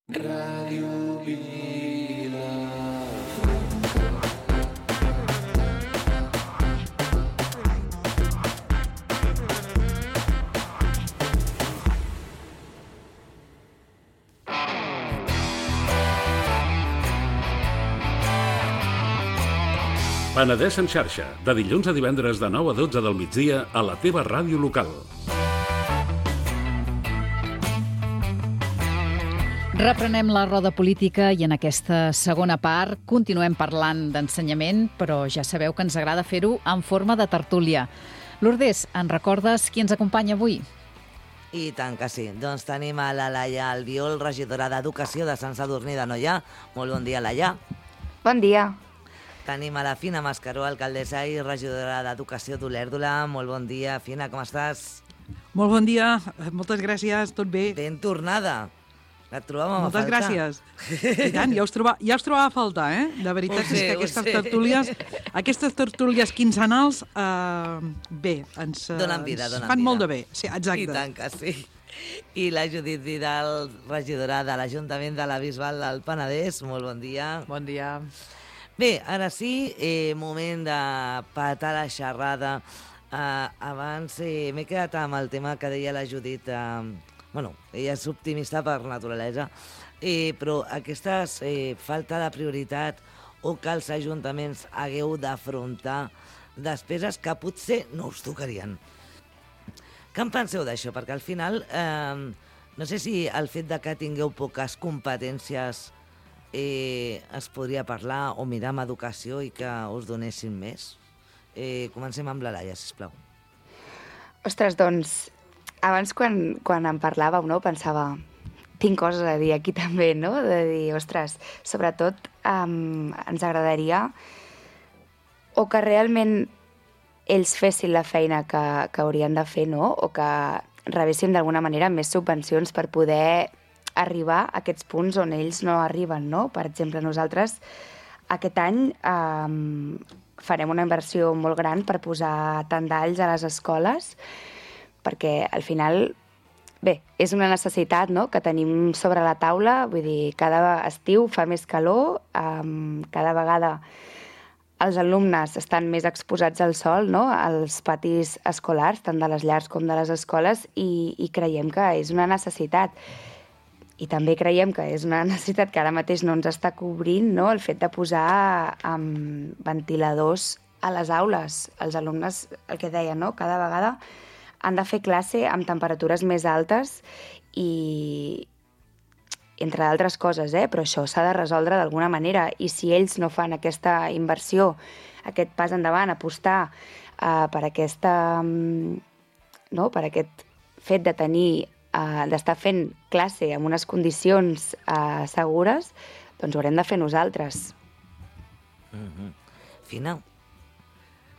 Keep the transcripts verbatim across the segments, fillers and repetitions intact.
Ràdio Vila. Penedès en xarxa, de dilluns a divendres de nou a dotze del migdia a la teva ràdio local. Reprenem la roda política i en aquesta segona part continuem parlant d'ensenyament, però ja sabeu que ens agrada fer-ho en forma de tertúlia. Lourdes, en recordes qui ens acompanya avui? I tant que sí. Doncs tenim a la Laia Albiol, regidora d'Educació de Sant Sadurní d'Anoia. Molt bon dia, Laia. Bon dia. Tenim a la Fina Mascaró, alcaldessa i regidora d'Educació d'Olèrdola. Molt bon dia, Fina, com estàs? Molt bon dia, moltes gràcies, tot bé. Ben tornada. Et trobàvem moltes a faltar. Moltes gràcies. I tant, ja us, troba, ja us trobava a faltar, eh? De veritat sé, és que aquestes sé. tertúlies, aquestes tertúlies quinzenals, eh, bé, ens, donen vida, ens donen fan vida. molt de bé. Sí, exacte. I tant que sí. I la Judit Vidal, regidora de l'Ajuntament de la Bisbal del Penedès. Molt bon dia. Bon dia. Bé, ara sí, eh, moment de patar la xerrada. Eh, abans eh, m'he quedat amb el tema que deia la Judit. Eh, bueno, ella és optimista per naturalesa, eh, però aquesta eh, falta de prioritat o que els ajuntaments hagueu d'afrontar despeses que potser no us tocarien. Què en penseu d'això? Perquè al final, eh, no sé si el fet de que tingueu poques competències eh, es podria parlar o mirar amb educació i que us donessin més. Eh, comencem amb la Laia, sisplau. Ostres, doncs, abans quan, quan en parlàveu, no, pensava, tinc coses a dir aquí també, no? De dir, ostres, sobretot um, ens agradaria o que realment ells fessin la feina que, que haurien de fer, no? O que rebéssim d'alguna manera més subvencions per poder arribar a aquests punts on ells no arriben, no? Per exemple, nosaltres aquest any um, farem una inversió molt gran per posar tendalls a les escoles, perquè al final, bé, és una necessitat, no?, que tenim sobre la taula, vull dir, cada estiu fa més calor, um, cada vegada els alumnes estan més exposats al sol, no?, als patis escolars, tant de les llars com de les escoles, i, i creiem que és una necessitat. I també creiem que és una necessitat que ara mateix no ens està cobrint, no?, el fet de posar um, ventiladors a les aules. Els alumnes, el que deien, no?, cada vegada han de fer classe amb temperatures més altes i, entre d'altres coses, eh? Però això s'ha de resoldre d'alguna manera. I si ells no fan aquesta inversió, aquest pas endavant, apostar uh, per, aquesta, um, no? per aquest fet de tenir, uh, d'estar fent classe en unes condicions uh, segures, doncs ho haurem de fer nosaltres. Mm-hmm. Fina?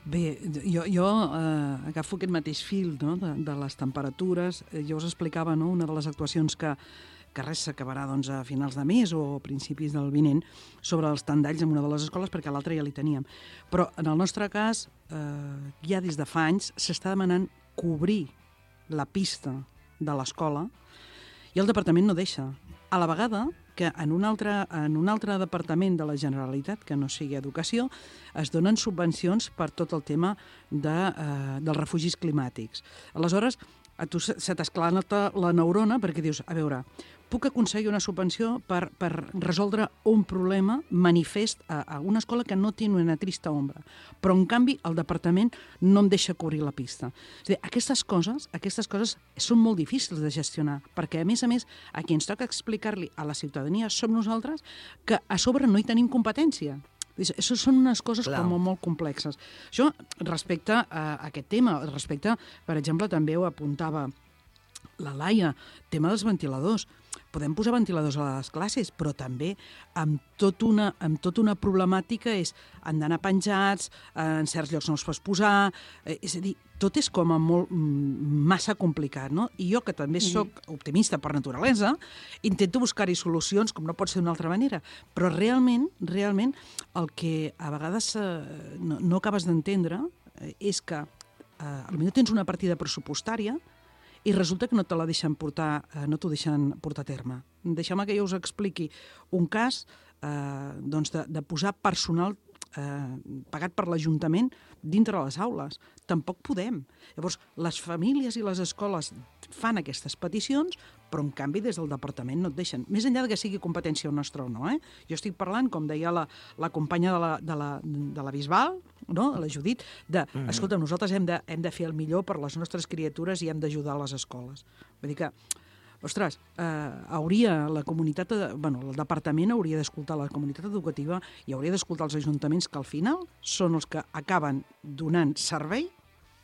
Bé, jo, jo eh, agafo aquest mateix fil, no?, de, de les temperatures. Jo us explicava, no?, una de les actuacions que, que res s'acabarà doncs, a finals de mes o a principis del vinent sobre els tendalls en una de les escoles, perquè a l'altra ja li teníem. Però en el nostre cas, eh, ja des de fa anys s'està demanant cobrir la pista de l'escola i el departament no deixa. A la vegada que en un, altre, en un altre departament de la Generalitat, que no sigui Educació, es donen subvencions per tot el tema de, eh, dels refugis climàtics. Aleshores, a tu se t'esclata la neurona perquè dius, a veure, puc aconseguir una subvenció per, per resoldre un problema manifest a, a una escola que no té una trista ombra, però en canvi el departament no em deixa cobrir la pista. És a dir, aquestes coses, aquestes coses són molt difícils de gestionar, perquè a més a més a qui ens toca explicar-li a la ciutadania som nosaltres que a sobre no hi tenim competència. Això són unes coses Clar. com molt complexes. Això respecte a aquest tema, respecte, per exemple, també ho apuntava la Laia, tema dels ventiladors. Podem posar ventiladors a les classes, però també amb tot una, amb tot una problemàtica és han d'anar penjats, en certs llocs no els pots posar, eh, és a dir, tot és com a molt massa complicat, no? I jo, que també sóc optimista per naturalesa, intento buscar-hi solucions, com no pot ser d'una altra manera, però realment, realment, el que a vegades eh, no, no acabes d'entendre eh, és que eh, potser tens una partida pressupostària i resulta que no te la deixen portar, eh, no t'ho deixen portar a terme. Deixeu-me que jo us expliqui un cas eh, doncs de, de posar personal eh, pagat per l'Ajuntament dintre de les aules. Tampoc podem. Llavors, les famílies i les escoles fan aquestes peticions, però en canvi des del departament no et deixen. Més enllà de que sigui competència nostra o no, eh? Jo estic parlant, com deia la, la companya de la, de la, de la Bisbal, no? La Judit, de, mm-hmm. escolta, nosaltres hem de, hem de fer el millor per les nostres criatures i hem d'ajudar les escoles. Vull dir que, ostres, eh, hauria la comunitat, bueno, el departament hauria d'escoltar la comunitat educativa i hauria d'escoltar els ajuntaments que al final són els que acaben donant servei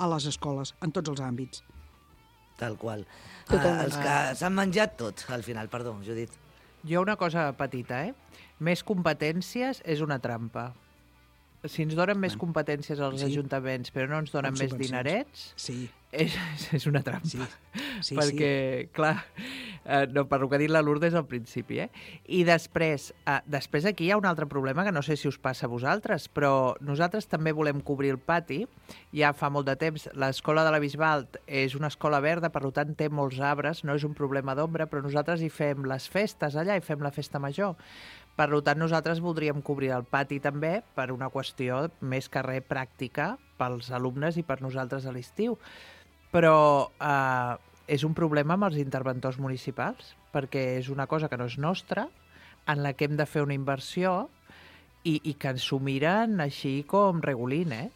a les escoles, en tots els àmbits. Tal qual. Ah, els que s'han menjat tot, al final. Perdó, Judit. Jo una cosa petita, eh? Més competències és una trampa. Si ens donen més competències als sí. ajuntaments, però no ens donen més dinerets, sí. és, és una trampa. Sí. Sí, Perquè, sí. clar, eh, no, per el que ha dit la Lourdes al principi, eh? I després, eh, després aquí hi ha un altre problema que no sé si us passa a vosaltres, però nosaltres també volem cobrir el pati. Ja fa molt de temps, l'escola de la Bisbal és una escola verda, per tant té molts arbres, no és un problema d'ombra, però nosaltres hi fem les festes allà, hi fem la festa major. Per tant, nosaltres voldríem cobrir el pati també per una qüestió més que res pràctica pels alumnes i per nosaltres a l'estiu. Però eh, és un problema amb els interventors municipals, perquè és una cosa que no és nostra, en la que hem de fer una inversió i, i que ens s'ho miren així com regulín, eh?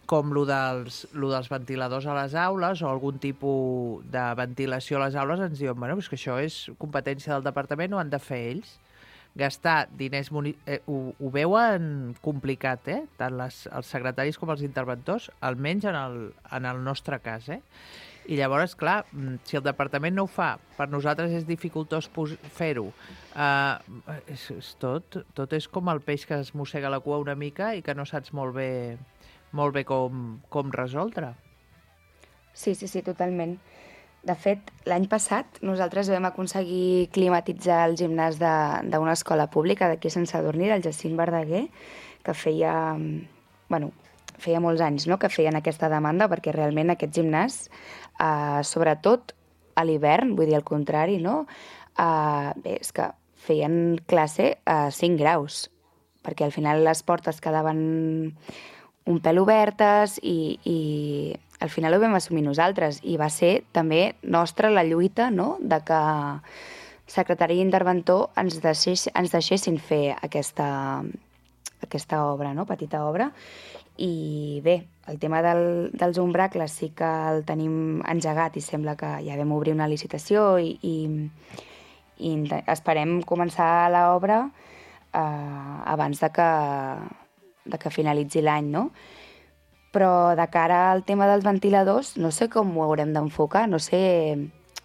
Com lo dels, lo dels ventiladors a les aules o algun tipus de ventilació a les aules, ens diuen, bueno, és que això és competència del departament, ho han de fer ells. Gastar diners... Eh, ho, ho veuen complicat, eh? Tant les, els secretaris com els interventors, almenys en el, en el nostre cas, eh? I llavors, clar, si el departament no ho fa, per nosaltres és dificultós fer-ho. Uh, és, és tot, tot és com el peix que es mossega la cua una mica i que no saps molt bé, molt bé com, com resoldre. Sí, sí, sí, totalment. De fet, l'any passat nosaltres vam aconseguir climatitzar el gimnàs d'una escola pública d'aquí a Sant Sadurní, del Jacint Verdaguer, que feia, bueno, feia molts anys, no?, que feien aquesta demanda, perquè realment aquest gimnàs, eh, sobretot a l'hivern, vull dir el contrari, no?, eh, bé, és que feien classe a cinc graus, perquè al final les portes quedaven un pèl obertes i... i al final ho vam assumir nosaltres i va ser també nostra la lluita, no?, de que secretari i interventor ens, deixés, ens deixessin fer aquesta, aquesta obra, no?, petita obra. I bé, el tema del, dels umbracles sí que el tenim engegat i sembla que ja vam obrir una licitació i, i, i esperem començar l'obra eh, abans de que, de que finalitzi l'any, no? Però de cara al tema dels ventiladors no sé com ho haurem d'enfocar, no sé,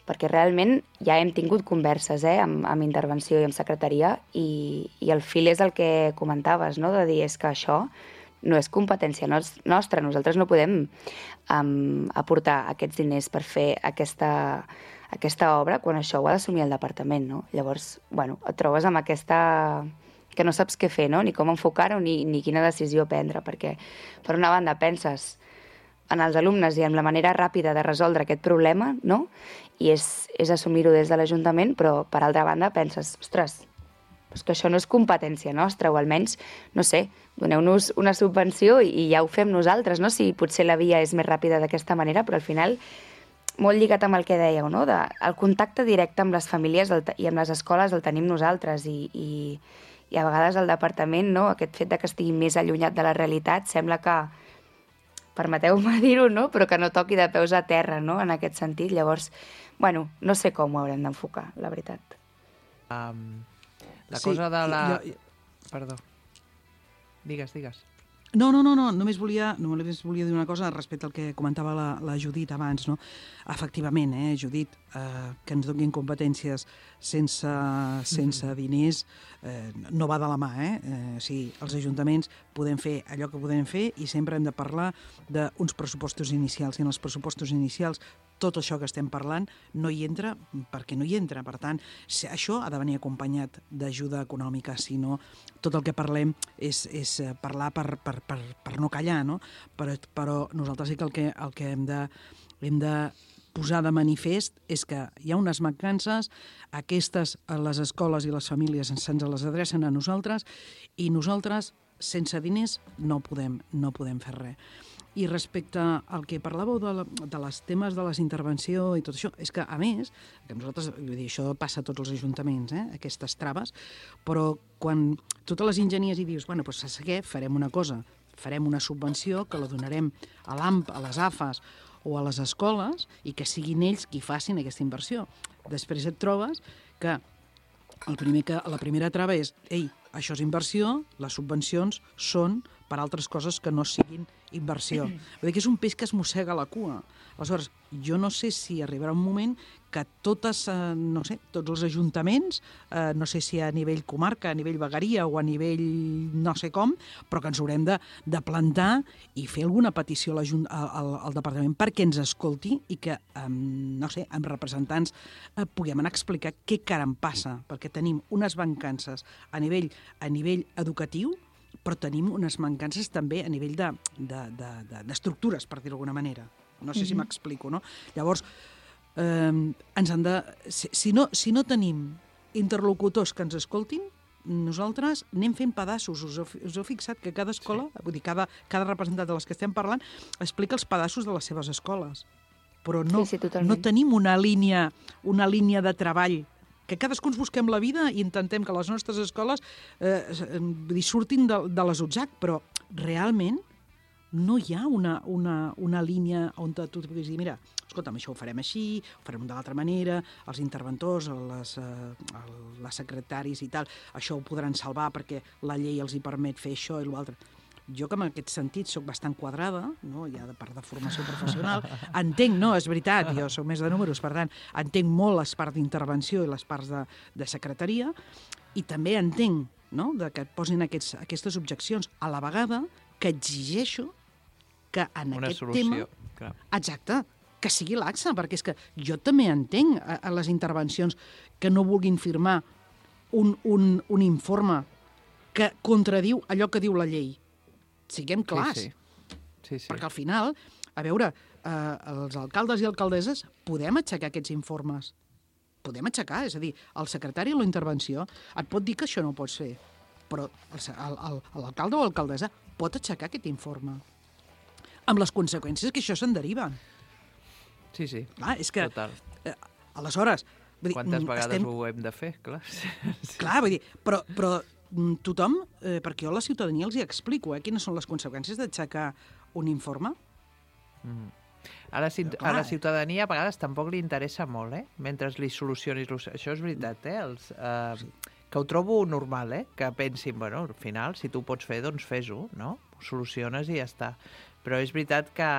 perquè realment ja hem tingut converses eh, amb, amb intervenció i amb secretaria i, i el fil és el que comentaves, no?, de dir és que això no és competència nostra, nosaltres no podem um, aportar aquests diners per fer aquesta, aquesta obra quan això ho ha d'assumir el departament, no? Llavors, bueno, et trobes amb aquesta... que no saps què fer, no?, ni com enfocar-ho, ni, ni quina decisió prendre, perquè, per una banda, penses en els alumnes i en la manera ràpida de resoldre aquest problema, no?, i és, és assumir-ho des de l'Ajuntament, però, per altra banda, penses, ostres, és que això no és competència nostra, o almenys, no sé, doneu-nos una subvenció i, i ja ho fem nosaltres, no?, si potser la via és més ràpida d'aquesta manera, però al final, molt lligat amb el que dèieu, no?, de, el contacte directe amb les famílies el, i amb les escoles el tenim nosaltres i... i i a vegades el departament, no?, aquest fet de que estigui més allunyat de la realitat, sembla que, permeteu-me dir-ho, no?, però que no toqui de peus a terra, no?, en aquest sentit. Llavors, bueno, no sé com ho haurem d'enfocar, la veritat. Um, la sí, cosa de la... Jo... Perdó. Digues, digues. No, no, no, no, només volia, només volia dir una cosa respecte al que comentava la, la Judit abans, no? Efectivament, eh, Judit, eh, que ens donin competències sense, sense diners eh, no va de la mà, eh? eh? Sí, els ajuntaments podem fer allò que podem fer i sempre hem de parlar d'uns pressupostos inicials, i en els pressupostos inicials tot això que estem parlant no hi entra perquè no hi entra. Per tant, això ha de venir acompanyat d'ajuda econòmica, si no, tot el que parlem és, és parlar per, per, per, per no callar, no? Però, però nosaltres sí que el que, el que hem de, hem de posar de manifest és que hi ha unes mancances, aquestes, les escoles i les famílies se'ns les adrecen a nosaltres i nosaltres, sense diners, no podem, no podem fer res. I respecte al que parlàveu de, la, de les temes de les intervenció i tot això, és que, a més, que nosaltres, vull dir, això passa a tots els ajuntaments, eh, aquestes traves, però quan totes les enginyers hi dius, bueno, doncs saps què, farem una cosa, farem una subvenció que la donarem a l'A M P, a les A F A S o a les escoles i que siguin ells qui facin aquesta inversió. Després et trobes que, el primer que la primera trava és, ei, això és inversió, les subvencions són per altres coses que no siguin inversió. Vull dir que és un peix que es mossega la cua. Aleshores, jo no sé si arribarà un moment que totes, eh, no sé, tots els ajuntaments, eh, no sé si a nivell comarca, a nivell vegueria o a nivell no sé com, però que ens haurem de, de plantar i fer alguna petició al, al, al departament perquè ens escolti i que, eh, no sé, amb representants eh, puguem anar a explicar què caram passa, perquè tenim unes mancances a nivell, a nivell educatiu, però tenim unes mancances també a nivell d'estructures, de, de, de, per dir-ho d'alguna manera. No sé mm-hmm. si m'explico, no? Llavors, eh, ens han de... Si, si, no, si no tenim interlocutors que ens escoltin, nosaltres anem fent pedaços. Us heu, us heu fixat que cada escola, sí. vull dir, cada, cada representant de les que estem parlant, explica els pedaços de les seves escoles. Però no, sí, sí, no tenim una línia, una línia de treball que cadascú ens busquem la vida i intentem que les nostres escoles eh, surtin de, de les U T S A C, però realment no hi ha una, una, una línia on tu puguis dir, mira, escolta'm, això ho farem així, ho farem de l'altra manera, els interventors, les, eh, les secretaris i tal, això ho podran salvar perquè la llei els hi permet fer això i l'altre. Jo, que en aquest sentit soc bastant quadrada, no? Ja de part de formació professional, entenc, no, és veritat, jo soc més de números, per tant, entenc molt les parts d'intervenció i les parts de, de secretaria, i també entenc, no?, de que et posin aquests, aquestes objeccions, a la vegada que exigeixo que en una aquest solució, tema... clar. Exacte, que sigui laxa, perquè és que jo també entenc a, a les intervencions que no vulguin firmar un, un, un informe que contradiu allò que diu la llei. Siguem clars, sí, sí. Sí, sí. perquè al final, a veure, eh, els alcaldes i alcaldesses podem aixecar aquests informes, podem aixecar, és a dir, el secretari de la intervenció et pot dir que això no ho pots fer, però l'alcalde o l'alcaldessa pot aixecar aquest informe, amb les conseqüències que això se'n deriven. Sí, sí, clar, és que, total. Eh, aleshores... Vull dir, quantes vegades estem... ho hem de fer, clar. Clar, vull dir, però... però tothom, eh, perquè jo a la ciutadania els hi explico, eh, quines són les conseqüències d'aixecar un informe. Mm. A, la, a la ciutadania a vegades tampoc li interessa molt, eh? Mentre li solucionis... Això és veritat, eh? Els, eh que ho trobo normal, eh? Que pensin, bueno, al final, si tu ho pots fer, doncs fes-ho, no? Ho soluciones i ja està. Però és veritat que,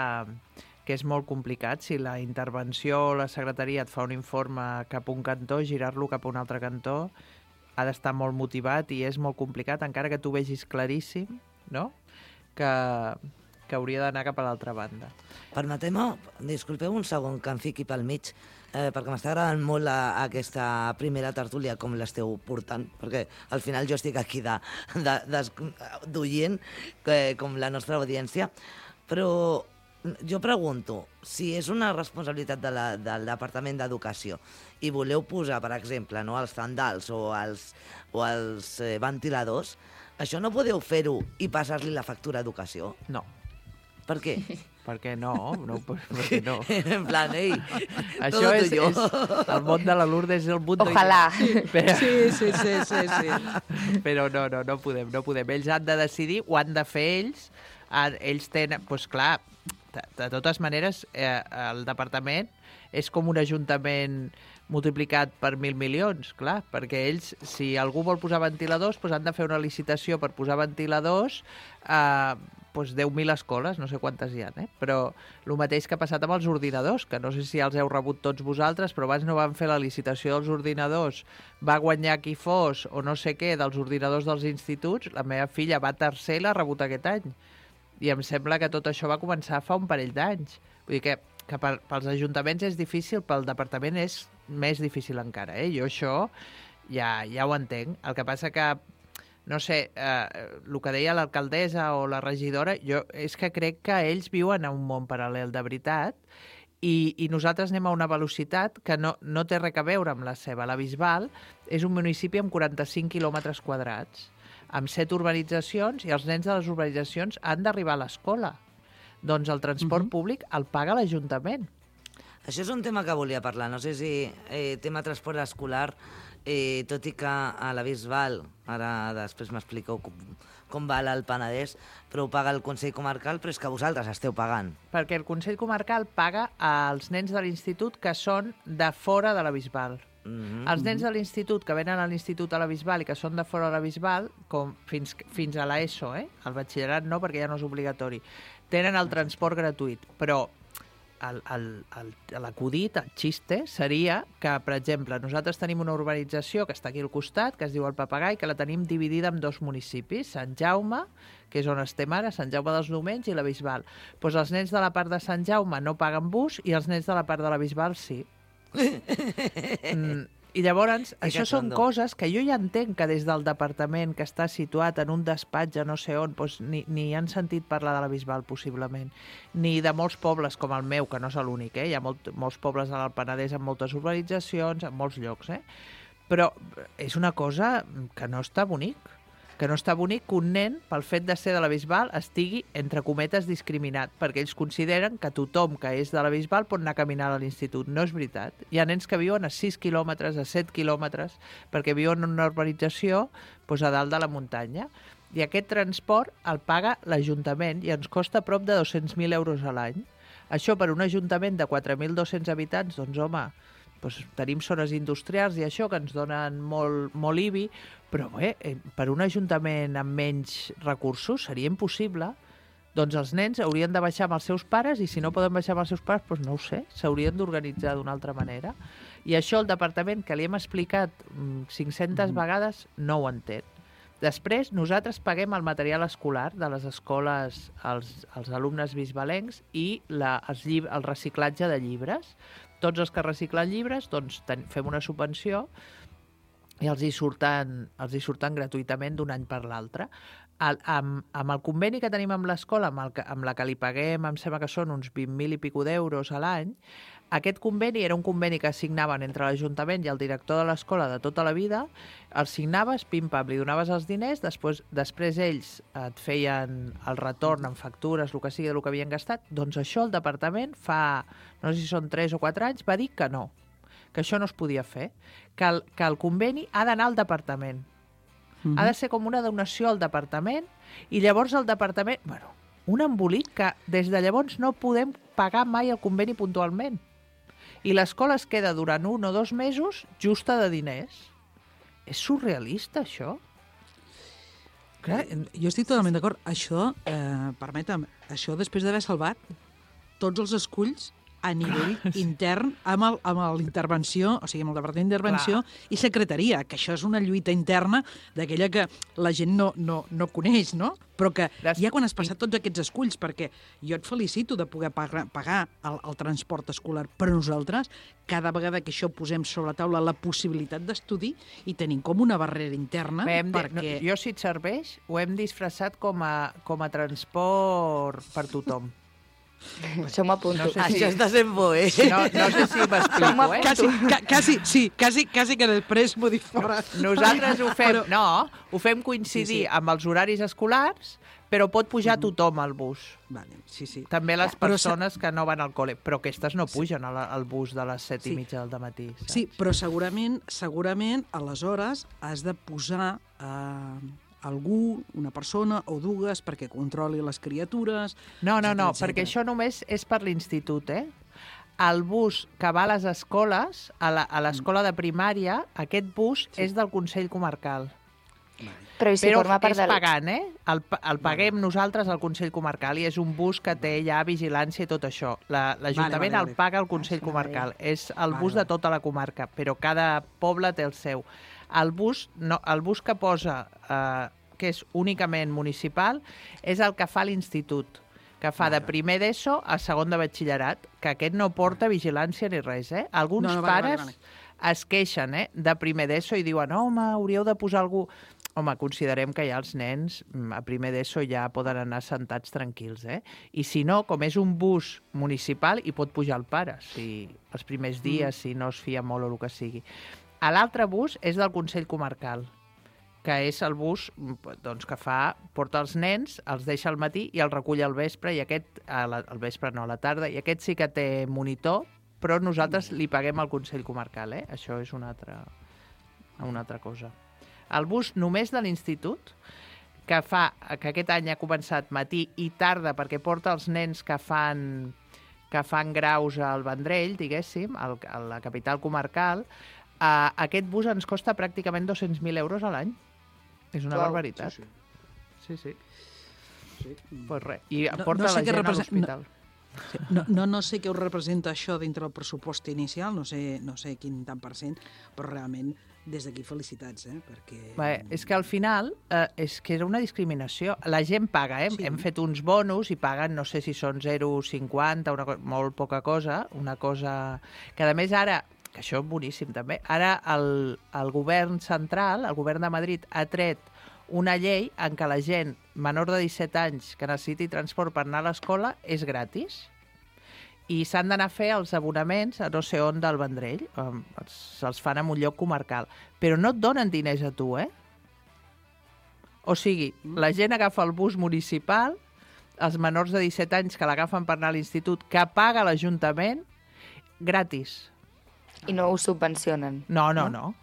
que és molt complicat. Si la intervenció o la secretaria et fa un informe cap a un cantó, girar-lo cap a un altre cantó, ha d'estar molt motivat i és molt complicat, encara que tu vegis claríssim, no?, que, que hauria d'anar cap a l'altra banda. Permeteu-me, disculpeu un segon que em fiqui pel mig, eh, perquè m'està agradant molt la, aquesta primera tertúlia, com l'esteu portant, perquè al final jo estic aquí d'oient, com la nostra audiència, però jo pregunto, si és una responsabilitat de la, del Departament d'Educació i voleu posar, per exemple, no, els tendals o els, o els eh, ventiladors, això no podeu fer-ho i passar-li la factura a Educació? No. Per què? Perquè no, no, perquè no. En plan, ei, això és, és... El món de la Lourdes és el mundo... Ojalà. Però... Sí, sí, sí, sí, sí. Però no, no, no podem, no podem. Ells han de decidir, ho han de fer ells. Ells tenen... Doncs clar, de, de totes maneres, eh, el departament és com un ajuntament multiplicat per mil milions, clar, perquè ells, si algú vol posar ventiladors, doncs han de fer una licitació per posar ventiladors a doncs deu mil escoles, no sé quantes hi ha, eh? Però el mateix que ha passat amb els ordinadors, que no sé si els heu rebut tots vosaltres, però abans no van fer la licitació dels ordinadors, va guanyar qui fos, o no sé què, dels ordinadors dels instituts, la meva filla va tercer i l'ha rebut aquest any. I em sembla que tot això va començar fa un parell d'anys. Vull dir que, que pels ajuntaments és difícil, pel departament és més difícil encara, eh? Jo això ja, ja ho entenc. El que passa que, no sé, eh, el que deia l'alcaldessa o la regidora, jo és que crec que ells viuen en un món paral·lel de veritat I, i nosaltres anem a una velocitat que no, no té res a veure amb la seva. La Bisbal és un municipi amb quaranta-cinc quilòmetres quadrats, amb set urbanitzacions, i els nens de les urbanitzacions han d'arribar a l'escola. Doncs el transport uh-huh. públic el paga l'Ajuntament. Això és un tema que volia parlar. No sé si eh, tema transport escolar, eh, tot i que a la Bisbal, ara després m'expliqueu com, com va al Penedès, però ho paga el Consell Comarcal, però és que vosaltres esteu pagant. Perquè el Consell Comarcal paga als nens de l'institut que són de fora de la Bisbal. Mm-hmm. Els nens de l'institut que venen a l'institut a la Bisbal i que són de fora de la Bisbal, com fins, fins a l'ESO, eh? El batxillerat no, perquè ja no és obligatori, tenen el transport gratuït, però l'acudit, el xiste, seria que, per exemple, nosaltres tenim una urbanització que està aquí al costat, que es diu el Papagai, que la tenim dividida en dos municipis, Sant Jaume, que és on estem ara, Sant Jaume dels Domenys, i la Bisbal. Doncs els nens de la part de Sant Jaume no paguen bus i els nens de la part de la Bisbal sí. mm. I llavors, I això són coses que jo ja entenc que des del departament que està situat en un despatx no sé on, doncs ni, ni han sentit parlar de la Bisbal, possiblement, ni de molts pobles com el meu, que no és l'únic, eh? Hi ha molt, molts pobles al Penedès amb moltes urbanitzacions, en molts llocs, eh? Però és una cosa que no està bonic, que no està bonic que un nen, pel fet de ser de la Bisbal, estigui, entre cometes, discriminat, perquè ells consideren que tothom que és de la Bisbal pot anar a caminar a l'institut. No és veritat. Hi ha nens que viuen a sis quilòmetres, a set quilòmetres, perquè viuen en una urbanització doncs, a dalt de la muntanya. I aquest transport el paga l'Ajuntament i ens costa prop de dos-cents mil euros a l'any. Això per un ajuntament de quatre mil dos-cents habitants, doncs home, doncs tenim zones industrials i això que ens donen molt, molt I B I, però bé, per un ajuntament amb menys recursos seria impossible. Doncs els nens haurien de baixar amb els seus pares i si no poden baixar amb els seus pares, doncs no ho sé, s'haurien d'organitzar d'una altra manera. I això el departament, que li hem explicat cinc-centes mm-hmm. vegades, no ho entén. Després, nosaltres paguem el material escolar de les escoles als, als alumnes bisbalencs i la, els llib- el reciclatge de llibres. Tots els que reciclen llibres, doncs ten, fem una subvenció i els hi surten, els hi surten gratuïtament d'un any per l'altre. El, amb, amb el conveni que tenim amb l'escola, amb, el que, amb la que li paguem, em sembla que són uns vint mil i pico d'euros a l'any, aquest conveni era un conveni que signaven entre l'Ajuntament i el director de l'escola de tota la vida, el signaves, pim-pam, li donaves els diners, després, després ells et feien el retorn en factures, el que sigui del que havien gastat, doncs això el departament fa, no sé si són tres o quatre anys, va dir que no, que això no es podia fer, que el, que el conveni ha d'anar al departament. Mm-hmm. Ha de ser com una donació al departament i llavors el departament... Bueno, un embolic que des de llavors no podem pagar mai el conveni puntualment. I l'escola es queda durant un o dos mesos justa de diners. És surrealista, això? Clar, jo estic totalment d'acord. Això, eh, permetem, això després d'haver salvat tots els esculls a nivell intern amb, el, amb l'intervenció, o sigui, amb el Departament d'Intervenció i Secretaria, que això és una lluita interna d'aquella que la gent no, no, no coneix, no? Però que Des... ja quan has passat tots aquests esculls, perquè jo et felicito de poder pagar, pagar el, el transport escolar, però nosaltres, cada vegada que això posem sobre la taula la possibilitat d'estudi i tenim com una barrera interna Bé, perquè... De, no, jo, si et serveix, ho hem disfressat com a, com a transport per tothom. Això m'apunto. No sé si... Això està sent bo, eh? No, no sé si m'explico, eh? Quasi, ca, quasi, sí, quasi, quasi que després m'ho dic fora. Nosaltres ho fem, però... no, ho fem coincidir sí, sí. amb els horaris escolars, però pot pujar tothom al bus. Vale, sí, sí. També les però persones se... que no van al col·le, però aquestes no pugen sí. al bus de les set sí. i mitja del matí. Saps? Sí, però segurament, segurament, aleshores has de posar... Eh... algú, una persona o dues perquè controli les criatures... No, no, no, etcètera. Perquè això només és per l'institut, eh? El bus que va a les escoles, a l'escola de primària, aquest bus sí. és del Consell Comarcal. Però, i si Però forma part és del... pagant, eh? El, el paguem vale. nosaltres al Consell Comarcal i és un bus que té ja vigilància i tot això. L'Ajuntament la, vale, vale, vale. el paga al Consell ah, Comarcal. És el bus vale, de tota la comarca, però cada poble té el seu. El bus, no, el bus que posa, eh, que és únicament municipal, és el que fa l'institut, que fa vale. de primer d'ESO a segon de batxillerat, que aquest no porta vigilància ni res, eh? Alguns no, no, vale, pares... Vale, vale. es queixen eh, de primer d'ESO i diuen home, hauríeu de posar algú... Home, considerem que ja els nens a primer d'ESO ja poden anar sentats tranquils, eh? I si no, com és un bus municipal, hi pot pujar el pare, si els primers dies, si no es fia molt o el que sigui. L'altre bus és del Consell Comarcal, que és el bus doncs, que fa, porta els nens, els deixa al matí i els recull al vespre, i aquest, al vespre no, a la tarda, i aquest sí que té monitor, però nosaltres li paguem al Consell Comarcal, eh? Això és una altra, una altra cosa. El bus només de l'institut, que fa que aquest any ha començat matí i tarda perquè porta els nens que fan, que fan graus al Vendrell, diguéssim, al, a la capital comarcal, uh, aquest bus ens costa pràcticament dos-cents mil euros a l'any. És una Clau, barbaritat. Sí, sí. sí, sí. sí. Pues res. I no, porta no sé la gent represent... a l'hospital. No... No, no, no sé què us representa això dintre del pressupost inicial, no sé, no sé quin tant per cent, però realment des d'aquí felicitats, eh? Perquè... Bé, és que al final eh, és que era una discriminació. La gent paga, eh? Sí. Hem fet uns bonus i paguen, no sé si són zero coma cinquanta, una co... molt poca cosa, una cosa que a més ara, que això és boníssim també, ara el, el govern central, el govern de Madrid, ha tret una llei en què la gent menor de disset anys que necessiti transport per anar a l'escola és gratis i s'han d'anar a fer els abonaments a no sé on del Vendrell, se'ls fan en un lloc comarcal, però no et donen diners a tu, eh? O sigui, la gent agafa el bus municipal, els menors de disset anys que l'agafen per anar a l'institut, que paga l'Ajuntament, gratis. I no ho subvencionen? No, no, no.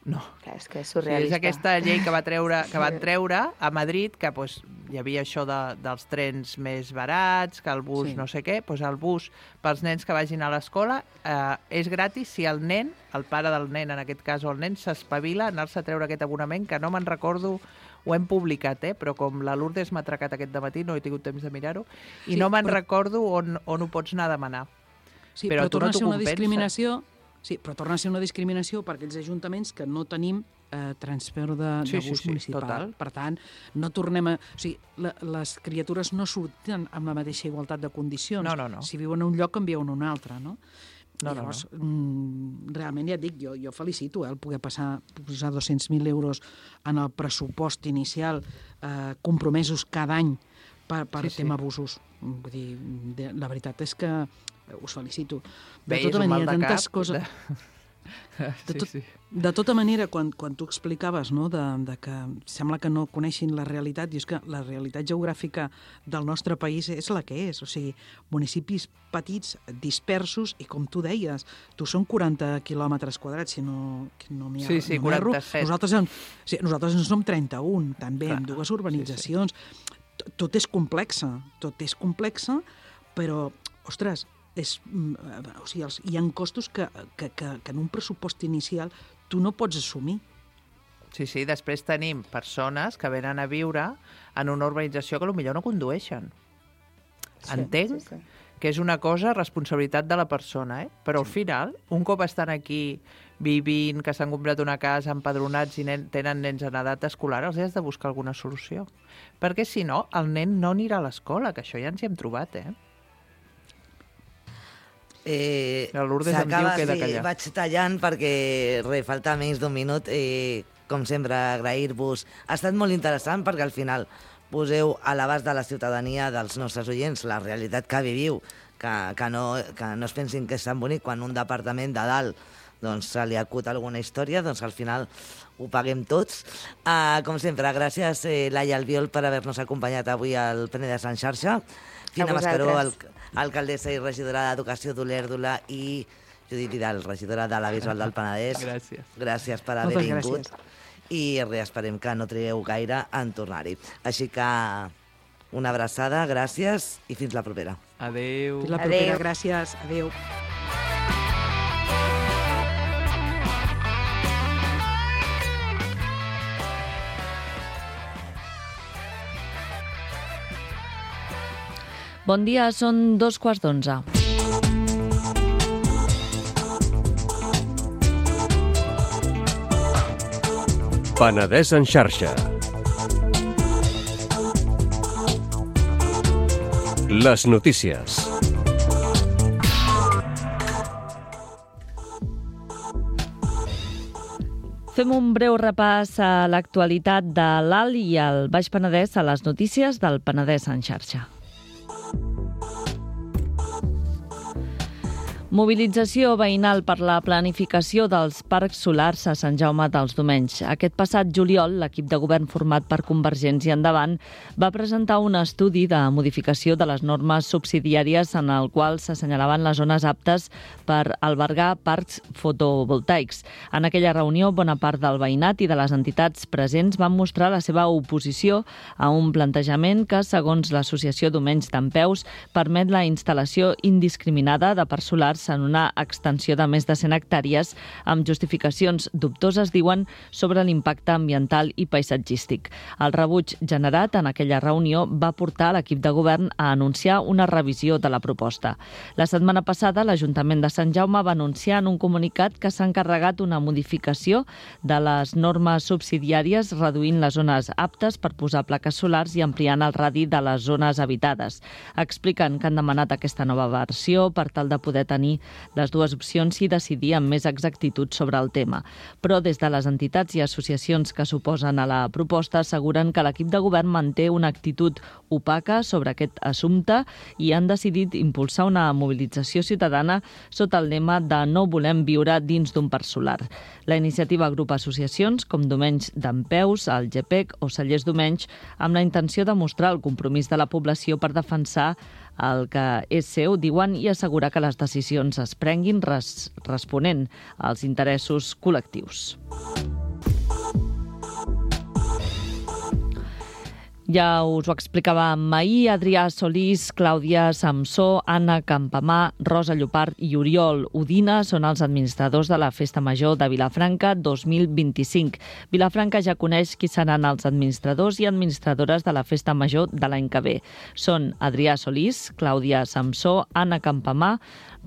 No. Clar, és que és surrealista. Sí, és aquesta llei que, va treure, que van treure a Madrid, que pues, hi havia això de, dels trens més barats, que el bus sí. no sé què, pues el bus pels nens que vagin a l'escola eh, és gratis si el nen, el pare del nen, en aquest cas, o el nen, s'espavila a anar-se a treure aquest abonament, que no me'n recordo, ho hem publicat, eh? Però com la Lourdes m'ha atracat aquest dematí, no he tingut temps de mirar-ho, i sí, no me'n però... recordo on, on ho pots anar a demanar. Sí, però, però torna no a ser una discriminació... Sí, però torna a ser una discriminació per aquells ajuntaments que no tenim eh, transfer de, sí, de bus sí, sí, municipal. Total. Per tant, no tornem a... O sigui, la, les criatures no surten amb la mateixa igualtat de condicions. No, no, no. Si viuen a un lloc, en viuen a un altre, no? No, Llavors, no, no. realment, ja et dic, jo, jo felicito eh, el poder passar, posar dos-cents mil euros en el pressupost inicial, eh, compromesos cada any per, per sí, tema sí. abusos. Vull dir, de, la veritat és que us felicito. De Bé, tota és un manera, mal de tantes cap. coses... De... De, tot, sí, sí. de tota manera, quan, quan tu explicaves no, de, de que sembla que no coneixin la realitat, i és que la realitat geogràfica del nostre país és la que és, o sigui, municipis petits, dispersos, i com tu deies, tu són quaranta quilòmetres quadrats, si no, no m'hi sí, sí, no quaranta-set. Nosaltres en, sí, nosaltres en som trenta-un, també, Clar. amb dues urbanitzacions. Sí, sí. Tot és complexa, tot és complexa, però, ostres, és, o sigui, els, hi ha costos que, que, que, que en un pressupost inicial tu no pots assumir. Sí, sí, després tenim persones que venen a viure en una urbanització que potser no condueixen. Sí, Entenc sí, sí. que és una cosa, responsabilitat de la persona, eh? Però al final, un cop estan aquí vivint, que s'han comprat una casa, empadronats i nen, tenen nens en edat escolar, els has de buscar alguna solució. Perquè si no, el nen no anirà a l'escola, que això ja ens hi hem trobat, eh? Eh, la Lourdes em diu que he de callar. Vaig tallant perquè re, falta menys d'un minut. Eh, com sempre, agrair-vos. Ha estat molt interessant perquè al final poseu a l'abast de la ciutadania, dels nostres oients, la realitat que viviu, que, que, no, que no es pensin que és tan bonic quan un departament de dalt doncs, se li acut alguna història, doncs al final ho paguem tots. Uh, com sempre, gràcies eh, Laia Albiol per haver-nos acompanyat avui al Penedès en xarxa. Fina Mascaró, al, alcaldessa i regidora d'Educació d'Olèrdola, i Judit Vidal, regidora de la Visual del Penedès. Gràcies. Gràcies per haver Moltes vingut. Gràcies. I res, esperem que no trigueu gaire en tornar-hi. Així que una abraçada, gràcies i fins la propera. Adéu. Fins la propera, Adéu. gràcies. Adéu. Bon dia, són dos quarts d'onze. Penedès en xarxa. Les notícies. Fem un breu repàs a l'actualitat de l'Alt i el Baix Penedès a les notícies del Penedès en xarxa. Mobilització veïnal per la planificació dels parcs solars a Sant Jaume dels Domenys. Aquest passat juliol, l'equip de govern format per Convergència Endavant va presentar un estudi de modificació de les normes subsidiàries en el qual s'assenyalaven les zones aptes per albergar parcs fotovoltaics. En aquella reunió, bona part del veïnat i de les entitats presents van mostrar la seva oposició a un plantejament que, segons l'Associació Domenys Dempeus, permet la instal·lació indiscriminada de parcs solars en una extensió de més de cent hectàrees amb justificacions dubtoses, diuen, sobre l'impacte ambiental i paisatgístic. El rebuig generat en aquella reunió va portar l'equip de govern a anunciar una revisió de la proposta. La setmana passada, l'Ajuntament de Sant Jaume va anunciar en un comunicat que s'ha encarregat una modificació de les normes subsidiàries, reduint les zones aptes per posar plaques solars i ampliant el radi de les zones habitades. Expliquen que han demanat aquesta nova versió per tal de poder tenir les dues opcions i decidir amb més exactitud sobre el tema. Però des de les entitats i associacions que s'oposen a la proposta asseguren que l'equip de govern manté una actitud opaca sobre aquest assumpte i han decidit impulsar una mobilització ciutadana sota el lema de no volem viure dins d'un parc solar. La iniciativa agrupa associacions com Domenys Dempeus, el G P E C o Cellers Domenys amb la intenció de mostrar el compromís de la població per defensar el que és seu, diuen, i assegurar que les decisions es prenguin res, responent als interessos col·lectius. Ja us ho explicàvem ahir, Adrià Solís, Clàudia Samsó, Anna Campamà, Rosa Llopart i Oriol Udina són els administradors de la Festa Major de Vilafranca dos mil vint-i-cinc. Vilafranca ja coneix qui seran els administradors i administradores de la Festa Major de l'any que ve. Són Adrià Solís, Clàudia Samsó, Anna Campamà,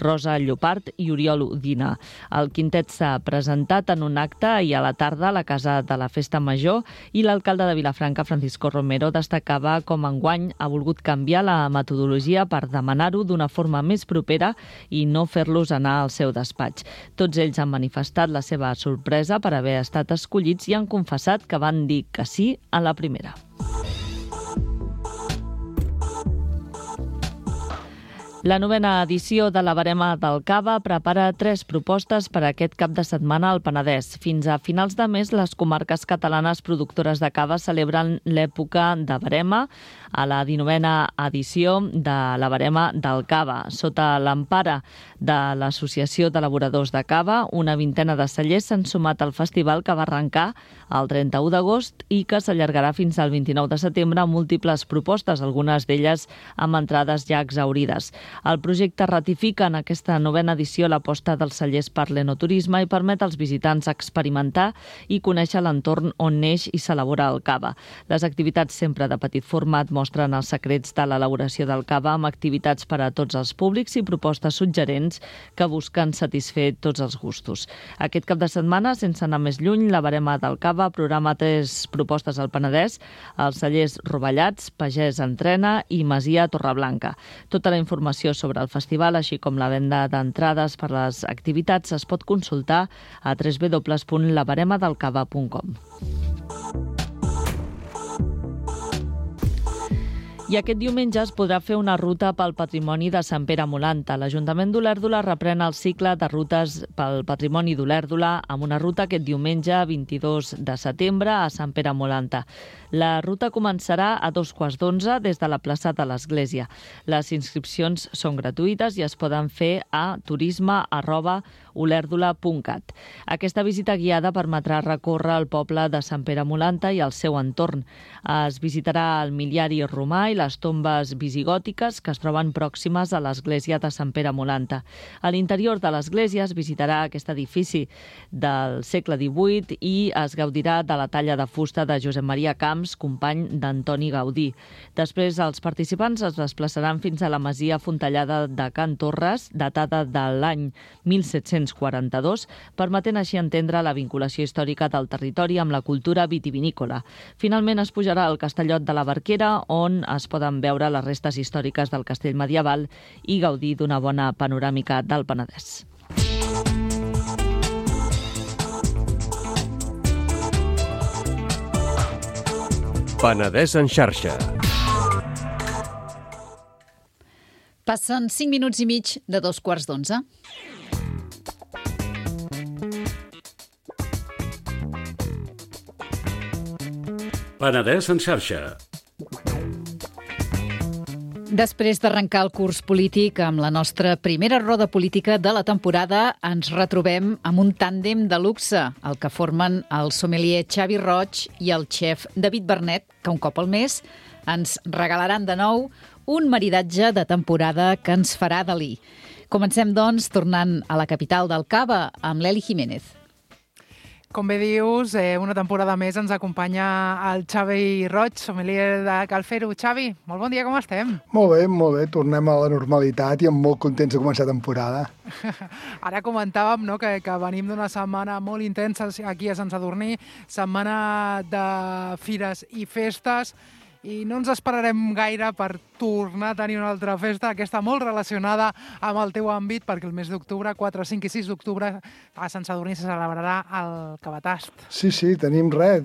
Rosa Llopart i Oriol Udina. El quintet s'ha presentat en un acte ahir a la tarda a la Casa de la Festa Major i l'alcalde de Vilafranca, Francisco Romero, destacava com enguany ha volgut canviar la metodologia per demanar-ho d'una forma més propera i no fer-los anar al seu despatx. Tots ells han manifestat la seva sorpresa per haver estat escollits i han confessat que van dir que sí a la primera. La novena edició de la Verema del Cava prepara tres propostes per a aquest cap de setmana al Penedès. Fins a finals de mes, les comarques catalanes productores de cava celebren l'època de Verema a la dinovena edició de la Verema del Cava. Sota l'empara de l'Associació d'Elaboradors de Cava, una vintena de cellers s'han sumat al festival que va arrencar el trenta-u d'agost i que s'allargarà fins al vint-i-nou de setembre amb múltiples propostes, algunes d'elles amb entrades ja exaurides. El projecte ratifica en aquesta novena edició l'aposta dels cellers per l'enoturisme i permet als visitants experimentar i conèixer l'entorn on neix i s'elabora el cava. Les activitats sempre de petit format mostren els secrets de l'elaboració del cava amb activitats per a tots els públics i propostes suggerents que busquen satisfer tots els gustos. Aquest cap de setmana, sense anar més lluny, la Verema del Cava programa tres propostes al Penedès, els cellers Rovellats, Pagès Entrena i Masia Torreblanca. Tota la informació sobre el festival, així com la venda d'entrades per les activitats, es pot consultar a w w w punt la verema del cava punt com. I aquest diumenge es podrà fer una ruta pel patrimoni de Sant Pere Molanta. L'Ajuntament d'Olèrdola reprèn el cicle de rutes pel patrimoni d'Olèrdola amb una ruta aquest diumenge vint-i-dos de setembre a Sant Pere Molanta. La ruta començarà a dos quarts d'onze des de la plaça de l'Església. Les inscripcions són gratuïtes i es poden fer a turisme arroba olèrdola punt cat. Aquesta visita guiada permetrà recórrer el poble de Sant Pere Molanta i el seu entorn. Es visitarà el miliari romà i les tombes visigòtiques que es troben pròximes a l'església de Sant Pere Molanta. A l'interior de l'església es visitarà aquest edifici del segle divuit i es gaudirà de la talla de fusta de Josep Maria Camps, company d'Antoni Gaudí. Després, els participants es desplaçaran fins a la masia fontellada de Can Torres, datada de l'any mil set-cents quaranta-dos, permetent així entendre la vinculació històrica del territori amb la cultura vitivinícola. Finalment es pujarà al Castellot de la Barquera, on es poden veure les restes històriques del castell medieval i gaudir d'una bona panoràmica del Penedès. Penedès en xarxa. Passen cinc minuts i mig de dos quarts d'onze. Penedès en xarxa. Després d'arrencar el curs polític amb la nostra primera roda política de la temporada, ens retrobem amb un tàndem de luxe, el que formen el sommelier Xavi Roig i el xef David Bernet, que un cop al mes ens regalaran de nou un maridatge de temporada que ens farà Dalí. Comencem, doncs, tornant a la capital del Cava, amb l'Eli Jiménez. Com bé dius, eh, una temporada més ens acompanya el Xavi Roig, sommelier de Cal Fer-ho. Xavi, molt bon dia, com estem? Molt bé, molt bé. Tornem a la normalitat i amb molt contents de començar temporada. Ara comentàvem, no, que, que venim d'una setmana molt intensa aquí a Sant Sadurní, setmana de fires i festes, i no ens esperarem gaire per tornar a tenir una altra festa, aquesta molt relacionada amb el teu àmbit, perquè el mes d'octubre, quatre, cinc i sis d'octubre, a Sant Sadurní se celebrarà el Cabatast. Sí, sí, tenim res,